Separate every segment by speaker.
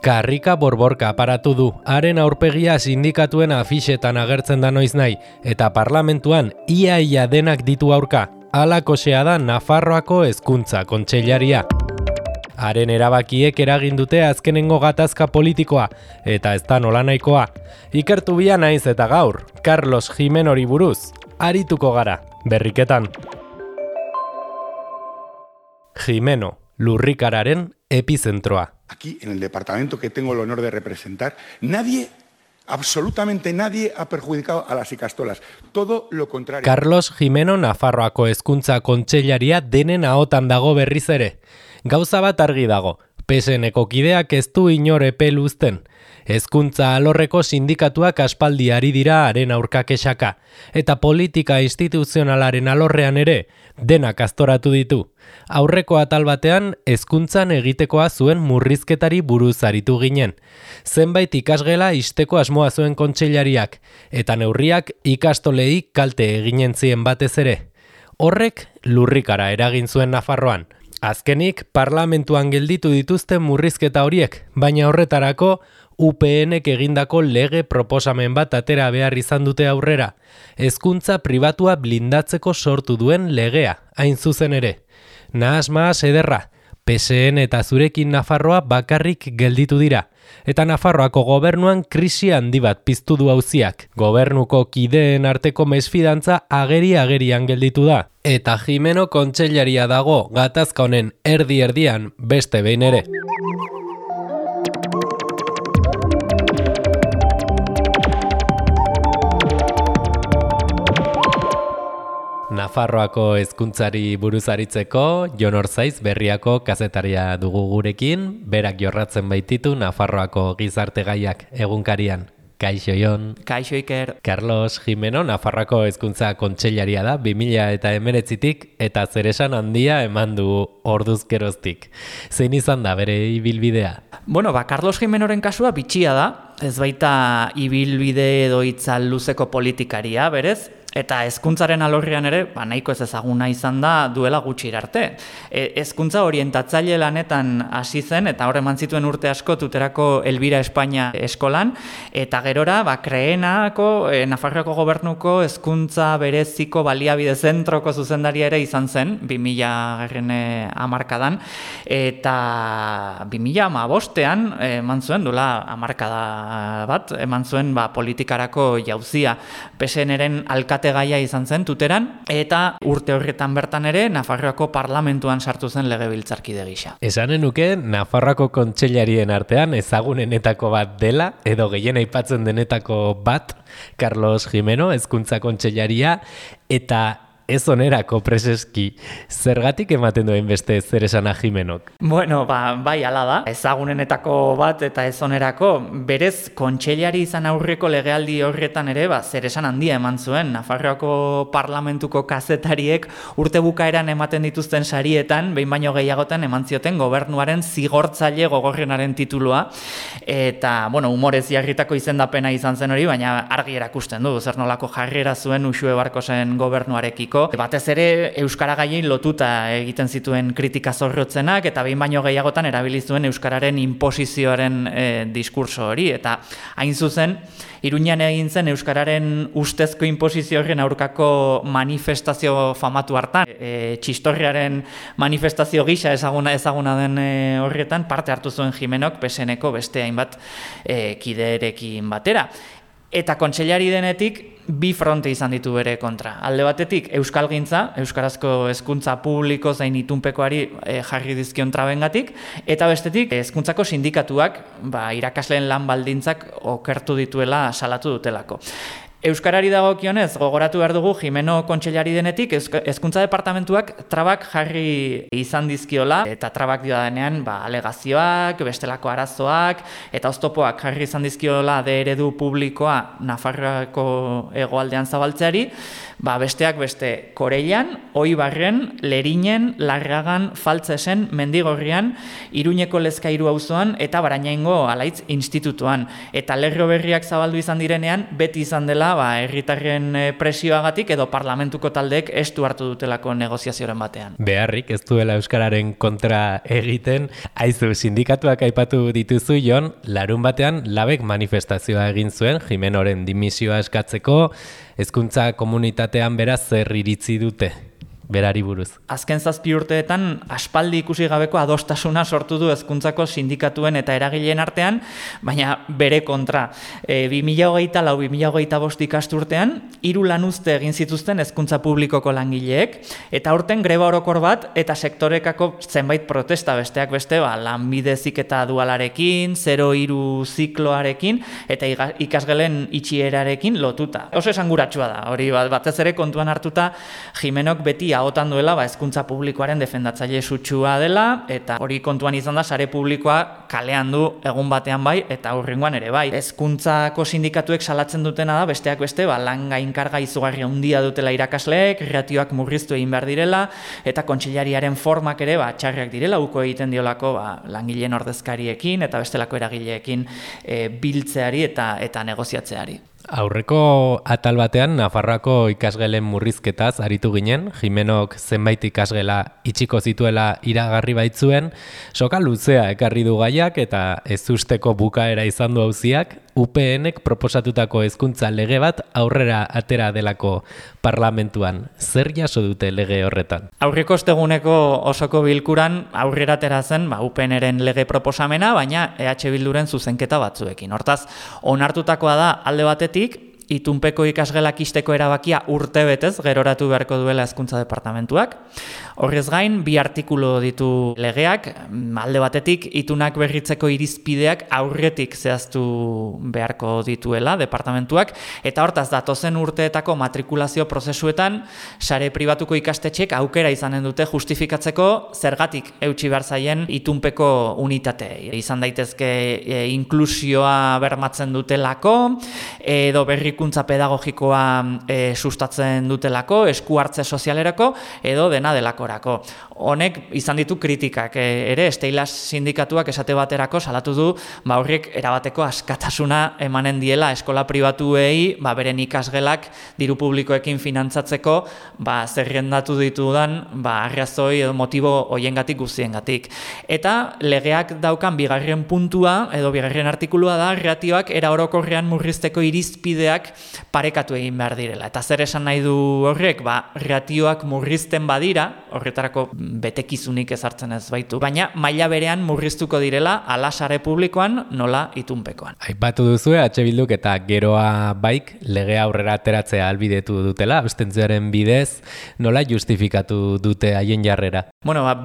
Speaker 1: Karrika borborka aparatu du, haren aurpegia sindikatuen afixetan agertzen da noiznahi, eta parlamentuan ia denak ditu aurka. Halakosea da Nafarroako Hezkuntza Kontseilaria. Haren erabakiek eragin dute azkenengo gatazka politikoa, eta ez da nolanahikoa. Ikertu bia naiz eta gaur, Carlos Gimenori buruz, arituko gara, berriketan. Gimeno, lurrikararen epizentroa.
Speaker 2: Aquí, en el departamento que tengo el honor de representar, nadie, absolutamente nadie ha perjudicado a las ikastolas. Todo lo contrario.
Speaker 1: Carlos Gimeno Nafarroako Hezkuntza Kontseilaria denen ahotan dago berriz ere. Gauza bat argi dago, PSNeko kideak ez du inor epel uzten. Hezkuntza alorreko sindikatuak aspaldi ari dira haren aurka kexaka, eta politika instituzionalaren alorrean ere denak aztoratu ditu. Aurreko atal batean hezkuntzan egitekoa zuen murrizketari buruz aritu ginen. Zenbait ikasgela ixteko asmoa zuen kontseilariak, eta neurriak ikastolei kalte eginen zien batez ere. Horrek lurrikara eragin zuen Nafarroan. Azkenik parlamentuan gelditu dituzten murrizketa horiek, baina horretarako UPNek egindako lege proposamen bat atera behar izan dute aurrera. Hezkuntza pribatua blindatzeko sortu duen legea, hain zuzen ere. Nahas ederra, PSN eta zurekin Nafarroa bakarrik gelditu dira. Eta Nafarroako gobernuan krisi handi bat piztu du auziak. Gobernuko kideen arteko mesfidantza agerian gelditu da. Eta Gimeno kontseilaria dago gatazka honen erdian beste behin ere. Nafarroako hezkuntzari buruz aritzeko, Jon Orzaiz berriako kazetaria dugu gurekin, berak jorratzen baititu Nafarroako gizarte gaiak egunkarian. Kaixo Jon.
Speaker 3: Kaixo Iker.
Speaker 1: Carlos Gimeno Nafarroako Hezkuntza Kontseilaria da 2019tik eta zeresan handia eman du orduzkeroztik. Zein izan da bere ibilbidea?
Speaker 3: Bueno, Carlos Gimenoren kasua bitxia da, ez baita ibilbide edo itzal luzeko politikaria, berez? Eta hezkuntzaren alorrean ere, nahiko ez ezaguna izan da duela gutxi arte. Hezkuntza orientatzaile lanetan hasi zen, eta hor eman zituen urte asko tuterako Elbira Espainia eskolan, eta gerora, Kreenako, Nafarroako gobernuko hezkuntza bereziko baliabide zentroko zuzendaria ere izan zen, 2000 hamarkadan, eta 2015ean eman zuen, duela hamarkada bat, eman zuen politikarako jauzia PSNren gaia izan zen tuteran, eta urte horretan bertan ere Nafarroako parlamentuan sartu zen legebiltzarkide gisa.
Speaker 1: Esanen nuke Nafarroako kontseilarien artean ezagunenetako bat dela, edo gehien aipatzen denetako bat, Carlos Gimeno, Hezkuntza Kontseilaria, eta ez onerako preseski. Zergatik ematen duen beste zer esana Gimenok?
Speaker 3: Bueno, bai ala da. Ezagunenetako bat eta ez onerako, berez kontseilari izan aurreko legealdi horretan ere zer esan handia eman zuen. Nafarroako parlamentuko kazetariek urte bukaeran ematen dituzten sarietan, behin baino gehiagotan eman zioten gobernuaren zigortzaile gogorrenaren titulua, eta, humorez jarritako izendapena izan zen hori, baina argi erakusten du, zer nolako jarrera zuen Uxue Barkosen gobernuarekiko. Batez ere euskara gaien lotuta egiten zituen kritika zorrotzenak, eta behin baino gehiagotan erabili zuen euskararen inposizioaren diskurso hori, eta hain zuzen Iruñan egin zen euskararen ustezko inposizio horren aurkako manifestazio famatu hartan, txistorriaren manifestazio gisa ezaguna den horretan parte hartu zuen Gimenok PSNeko beste hainbat kiderekin batera. Eta kontseilari denetik bi fronte izan ditu bere kontra. Alde batetik euskalgintza, euskarazko hezkuntza publiko zein itunpekoari jarri dizkion trabengatik, eta bestetik hezkuntzako sindikatuak irakasleen lan baldintzak okertu dituela salatu dutelako. Euskarari dagokionez, gogoratu behar dugu Gimeno kontseilari denetik hezkuntza departamentuak trabak jarri izan dizkiola, eta trabak diodanean alegazioak, bestelako arazoak, eta oztopoak jarri izan dizkiola eredu publikoa Nafarroako hegoaldean zabaltzeari, besteak beste Koreian, Oibarren, Lerinen, Larragan, Faltzesen, Mendigorrian, Iruñeko Lezkairu auzoan eta Barainaingo Alaitz institutuan. Eta lerro berriak zabaldu izan direnean, beti izan dela dela, herritarren presioagatik edo parlamentuko taldeek estu hartu dutelako negoziazioren batean.
Speaker 1: Beharrik ez duela euskararen kontra egiten, aizu sindikatuak aipatu dituzu Jon, larun batean labek manifestazioa egin zuen Jimenoren dimisioa eskatzeko, hezkuntza komunitatean beraz zer iritzi dute? Berari buruz.
Speaker 3: Azken 7 urteetan aspaldi ikusi gabeko adostasuna sortu du hezkuntzako sindikatuen eta eragileen artean, baina bere kontra. 2024-2025 ikasturtean 3 lanuzte egin zituzten hezkuntza publikoko langileek, eta aurten greba orokor bat eta sektorekako zenbait protesta besteak beste, lanbide heziketa dualarekin, 0-3 zikloarekin eta ikasgelen itxierarekin lotuta. Oso esanguratsua da, hori batez ere kontuan hartuta Jimenok beti ahotan duela hezkuntza publikoaren defendatzaile sutsua dela, eta hori kontuan izan da sare publikoa kalean du egun batean bai eta hurrengoan ere bai. Hezkuntzako sindikatuek salatzen dutena da besteak beste lan gainkarga izugarri handia dutela irakasleek, ratioak murriztu egin behar direla eta kontseilariaren formak ere txarrak direla, uko egiten diolako langileen ordezkariekin eta bestelako eragileekin biltzeari eta negoziatzeari.
Speaker 1: Aurreko atal batean Nafarroako ikasgelen murrizketaz aritu ginen, Jimenok zenbait ikasgela itxiko zituela iragarri baitzuen, soka luzea ekarri du gaiak eta ezusteko bukaera izan du auziak, UPNek proposatutako hezkuntza lege bat aurrera atera delako parlamentuan. Zer jaso dute lege horretan?
Speaker 3: Aurreko osteguneko osoko bilkuran aurrera atera zen UPNren lege proposamena, baina EH Bilduren zuzenketa batzuekin. Hortaz, onartutakoa da alde batetik, itunpeko ikasgelak ixteko erabakia urtebetez geroratu beharko duela hezkuntza departamentuak. Horrez gain, 2 artikulu ditu legeak, alde batetik itunak berritzeko irizpideak aurretik zehaztu beharko dituela departamentuak, eta hortaz datozen urteetako matrikulazio prozesuetan sare pribatuko ikastetxek aukera izanen dute justifikatzeko zergatik eutsi behar zaien itunpeko unitatei. Izan daitezke inklusioa bermatzen dutelako, edo berrikuntza pedagogikoa sustatzen dutelako, esku hartze sozialerako, edo dena delakorako. Honek izan ditu kritikak ere, Steilas sindikatuak esate baterako salatu du horrek erabateko askatasuna emanen diela eskola pribatuei beren ikasgelak diru publikoekin finantzatzeko zerrendatu ditudan arrazoi edo motibo hoiengatik guztiengatik. Eta legeak daukan 2. puntua edo 2. artikulua da ratioak era orokorrean murrizteko irizpideak parekatu egin behar direla. Eta zer esan nahi du horrek? Ratioak murrizten badira, horretarako betekizunik ezartzen ez baitu, baina maila berean murriztuko direla ala sare publikoan nola itunpekoan.
Speaker 1: Aipatu duzu EH Bilduk eta geroa baik legea aurrera ateratzea albidetu dutela, abstentzioaren bidez, nola justifikatu dute haien jarrera?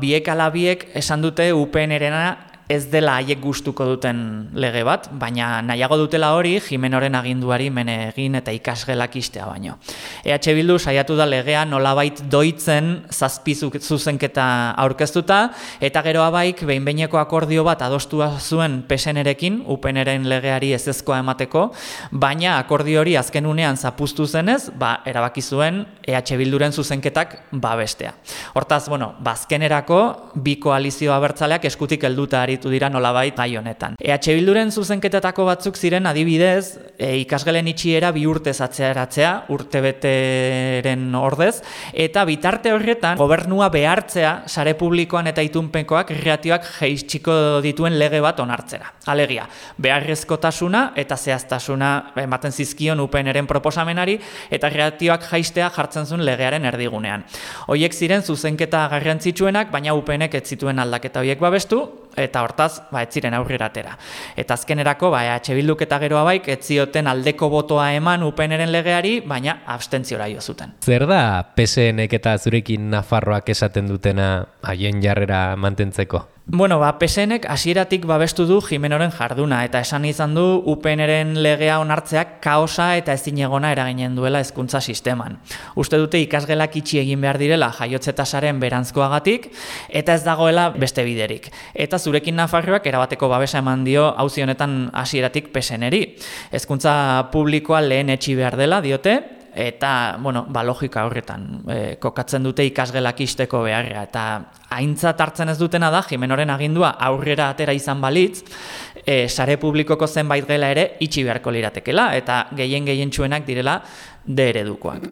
Speaker 3: Biek ala biek esan dute UPN-erena ez dela haiek gustuko duten lege bat, baina nahiago dutela hori Jimenoren aginduari mene egin eta ikasgelak ixtea baino. EH Bildu saiatu da legea nolabait doitzen 7 zuzenketa aurkeztuta, eta geroa baik behin-behineko akordio bat adostua zuen PSN-erekin, UPN-eren legeari ezezkoa emateko, baina akordio hori azken unean zapuztu zenez, erabaki zuen EH Bilduren zuzenketak babestea. Hortaz, azkenerako 2 koalizio abertzaleak eskutik helduta aritu dira nolabait gai honetan. EH Bilduren zuzenketetako batzuk ziren adibidez, ikasgelen itxiera 2 urtez atzeratzea, urtebeteren ordez, eta bitarte horretan gobernua behartzea sare publikoan eta itunpekoak ratioak jaitsiko dituen lege bat onartzera. Alegia, beharrezkotasuna eta zehaztasuna ematen zizkion UPN-eren proposamenari eta ratioak jaistea jartzen zuen legearen erdigunean. Hoiek ziren zuzenketa garrantzitsuenak, baina UPN-ek ez zituen aldaketa hoiek babestu, eta hortaz, ez ziren aurrera atera. Eta azkenerako, EH Bilduk eta geroa baik, ez zioten aldeko botoa eman UPN-eren legeari, baina abstentziora jo zuten.
Speaker 1: Zer da PSN-ek eta zurekin Nafarroak esaten dutena haien jarrera mantentzeko?
Speaker 3: PSN-ek hasieratik babestu du Jimenoren jarduna, eta esan izan du UPN-eren legea onartzeak kaosa eta ezinegona eraginen duela hezkuntza sisteman. Uste dute ikasgelak itxi egin behar direla jaiotze tasaren berantzkoagatik, eta ez dagoela beste biderik. Eta zurekin Nafarroak erabateko babesa eman dio auzi honetan hasieratik PSN-eri. Hezkuntza publikoa lehen etxi behar dela diote, eta, logika horretan kokatzen dute ikasgelak ixteko beharra, eta aintzat hartzen ez dutena da, Jimenoren agindua aurrera atera izan balitz, sare publikoko zenbait gela ere itxi beharko liratekela, eta gehientsuenak direla D eredukoak.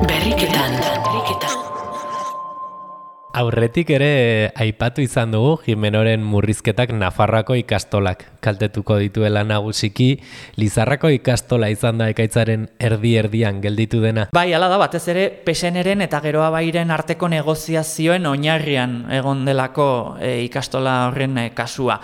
Speaker 4: Berriketan.
Speaker 1: Aurretik ere aipatu izan dugu Jimenoren murrizketak Nafarroako ikastolak kaltetuko dituela nagusiki. Lizarrako ikastola izan da ekaitzaren erdi-erdian gelditu dena.
Speaker 3: Bai, hala da, batez ere PSNren eta Geroa Bairen arteko negoziazioen oinarrian egon delako ikastola horren kasua.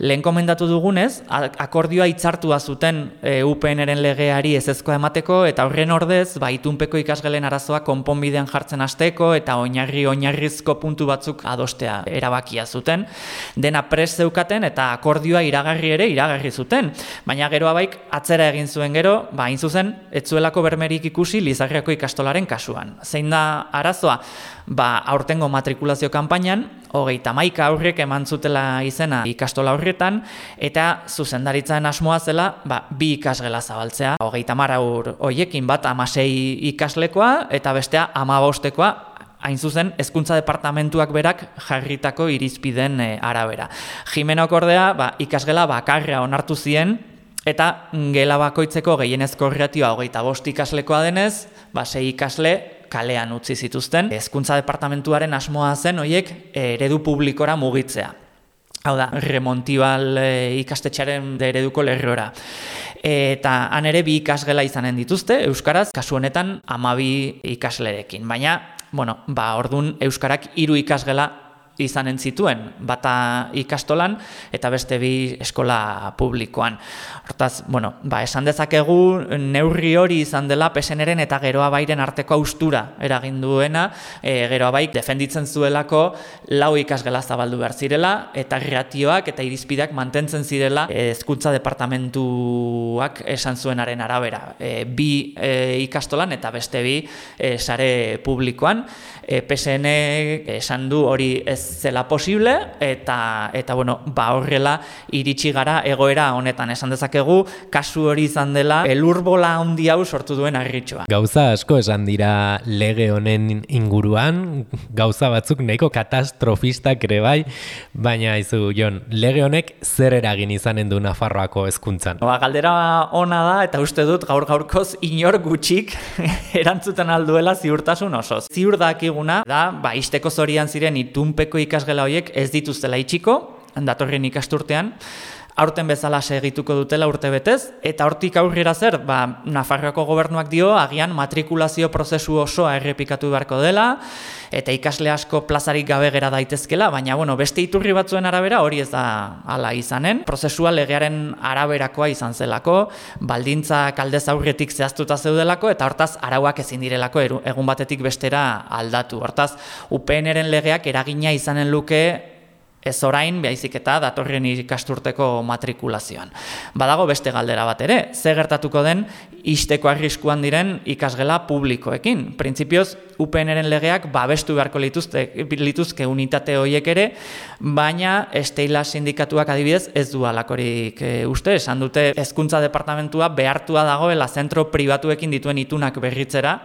Speaker 3: Lehen komendatu dugunez, akordioa hitzartua zuten UPNren legeari ezezkoa emateko, eta horren ordez, itunpeko ikasgelen arazoa konponbidean jartzen hasteko eta oinarrizko puntu batzuk adostea erabakia zuten. Dena prest zeukaten eta akordioa iragarri zuten. Baina Geroa Baik atzera egin zuen gero, hain zuzen, ez zuelako bermerik ikusi Lizarriako ikastolaren kasuan. Zein da arazoa? Aurtengo matrikulazio kanpainan, 31 aurrek eman zutela izena ikastola horretan, eta zuzendaritzaren asmoa zela, 2 ikasgela zabaltzea. 30 aur hoiekin bat 16 ikaslekoa, eta bestea 15koa, hain zuzen, hezkuntza departamentuak berak jarritako irizpideen arabera. Jimenok ordea, ikasgela bakarra onartu zien, eta gela bakoitzeko gehienezko ratioa 25 ikaslekoa denez, 6 ikasle kalean utzi zituzten. Hezkuntza departamentuaren asmoa zen hoiek eredu publikora mugitzea. Hau da, remontibal ikastetxearen ereduko lerrora. Eta han ere 2 ikasgela izanen dituzte, euskaraz, kasu honetan 12 ikaslerekin. Baina, ordun euskarak 3 ikasgela izanen zituen, bata ikastolan eta beste 2 eskola publikoan. Hortaz, esan dezakegu neurri hori izan dela PSNren eta Geroa Bairen arteko haustura eragin duena. Geroa Baik defenditzen zuelako 4 ikasgela zabaldu behar zirela, eta ratioak eta irizpideak mantentzen zirela hezkuntza departamentuak esan zuenaren arabera. 2 ikastolan eta beste 2 sare publikoan. PSN esan du hori ez zela posible, eta horrela iritsi gara egoera honetan. Esan dezakegu kasu hori izan dela elurbola handi hau sortu duen harritxoa.
Speaker 1: Gauza asko esan dira lege honen inguruan, gauza batzuk nahiko katastrofistak ere bai, baina izu Jon, lege honek zer eragin izanen du Nafarroako hezkuntzan?
Speaker 3: Galdera ona da, eta uste dut gaur-gaurkoz inor gutxik erantzuten alduela ziurtasun osoz. Ziur dakiguna da, isteko zorian ziren itunpeko ikasgela horiek ez dituztela itxiko, datorren ikasturtean, aurten bezala segituko dutela urtebetez, eta hortik aurrera zer, Nafarroako gobernuak dio, agian matrikulazio prozesu osoa errepikatu beharko dela, eta ikasle asko plazarik gabe gera daitezkela, baina beste iturri batzuen arabera hori ez da hala izanen. Prozesua legearen araberakoa izan zelako, baldintzak aldez aurretik zehaztuta zeudelako, eta hortaz arauak ezin direlako egun batetik bestera aldatu. Hortaz, UPNren legeak eragina izanen luke ez orain, baizik eta datorren ikasturteko matrikulazioan. Badago beste galdera bat ere, ze gertatuko den ixteko arriskuan diren ikasgela publikoekin. Printzipioz, UPNren legeak babestu beharko lituzke unitate horiek ere, baina Esteila sindikatuak adibidez ez du halakorik uste, esan dute hezkuntza departamentua behartua dagoela zentro pribatuekin dituen itunak berritzera,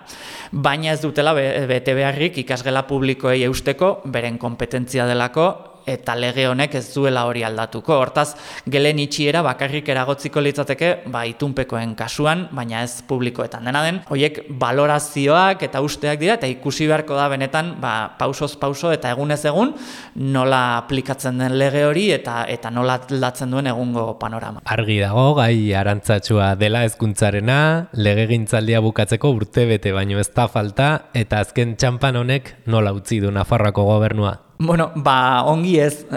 Speaker 3: baina ez dutela bete beharrik ikasgela publikoei eusteko, beren kompetentzia delako, eta lege honek ez duela hori aldatuko. Hortaz, gelen itxiera bakarrik eragotziko litzateke itunpekoen kasuan, baina ez publikoetan. Dena den, horiek balorazioak eta usteak dira, eta ikusi beharko da benetan pausoz pauso eta egunez egun nola aplikatzen den lege hori eta nola aldatzen duen egungo panorama.
Speaker 1: Argi dago, gai arantzatxua dela hezkuntzarena, legegintzaldia bukatzeko urtebete baino ez da falta, eta azken txanpan honek nola utzi du Nafarroako gobernua?
Speaker 3: Ongi ez,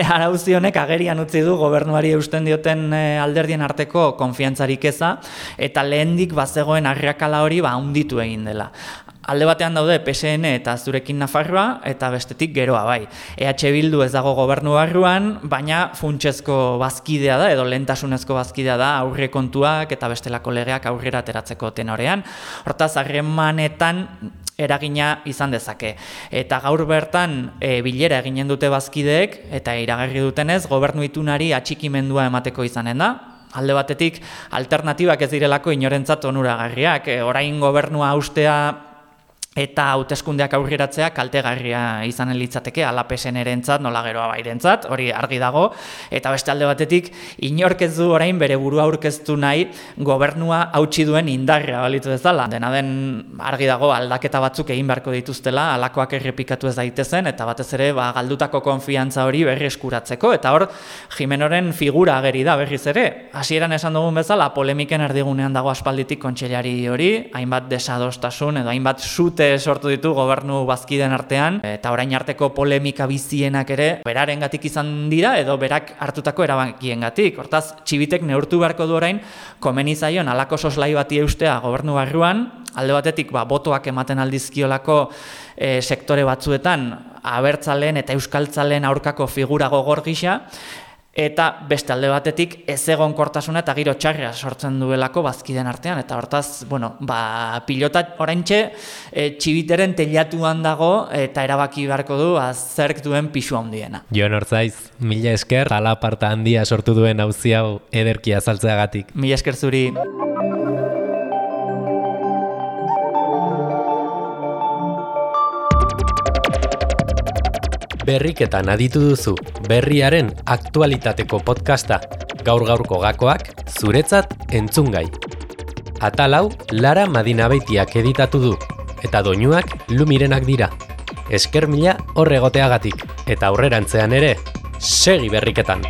Speaker 3: arauzi honek agerian utzi du gobernuari eusten dioten alderdien arteko konfiantzarik eza, eta lehendik bazegoen arrakala hori handitu egin dela. Alde batean daude PSN eta Zurekin Nafarroa, eta bestetik Geroa bai. EH Bildu ez dago gobernu barruan, baina funtsezko bazkidea da, edo lehentasunezko bazkidea da aurrekontuak eta bestelako legeak aurrera ateratzeko tenorean. Hortaz, harremanetan eragina izan dezake. Eta gaur bertan bilera eginen dute bazkideek, eta iragarri dutenez, gobernu itunari atxikimendua emateko izanen da. Alde batetik, alternatibak ez direlako inorentzat onuragarriak. Orain gobernua haustea eta hauteskundeak aurreratzea kaltegarria izanen litzateke ala PSN-erentzat, nola geroa bairentzat, hori argi dago, eta beste alde batetik inork ez du orain bere burua aurkeztu nahi gobernua hautsi duen indarra balitu bezala. Dena den argi dago aldaketa batzuk egin beharko dituztela, halakoak errepikatu ez daitezen, eta batez ere galdutako konfiantza hori berreskuratzeko, eta hor Jimenoren figura ageri da berriz ere. Hasieran esan dugun bezala, polemiken erdigunean dago aspalditik kontseilari hori, hainbat desadostasun edo hainbat sute sortu ditu gobernu bazkideen artean, eta orain arteko polemika bizienak ere berarengatik izan dira edo berak hartutako erabakiengatik. Hortaz, Txibitek neurtu beharko du orain komeni zaion halako soslai bati eustea gobernu barruan, alde batetik botoak ematen aldizkiolako sektore batzuetan abertzaleen eta euskaltzaleen aurkako figura gogor gisa, eta beste alde batetik ezegonkortasuna eta giro txarra sortzen duelako bazkideen artean, eta hortaz, pilota oraintxe Txibiteren teilatuan dago eta erabaki beharko du zerk duen pisu handiena.
Speaker 1: Jon Ortzaiz, mila esker, alaparta handia sortu duen auzi hau ederki azaltzeagatik.
Speaker 3: Mila esker zuri.
Speaker 1: Berriketan aditu duzu, berriaren aktualitateko podcasta, gaur-gaurko gakoak, zuretzat entzungai. Atal hau, Lara Madinabeitiak editatu du, eta doinuak Lumirenak dira. Esker mila hor egoteagatik, eta aurrerantzean ere, segi berriketan!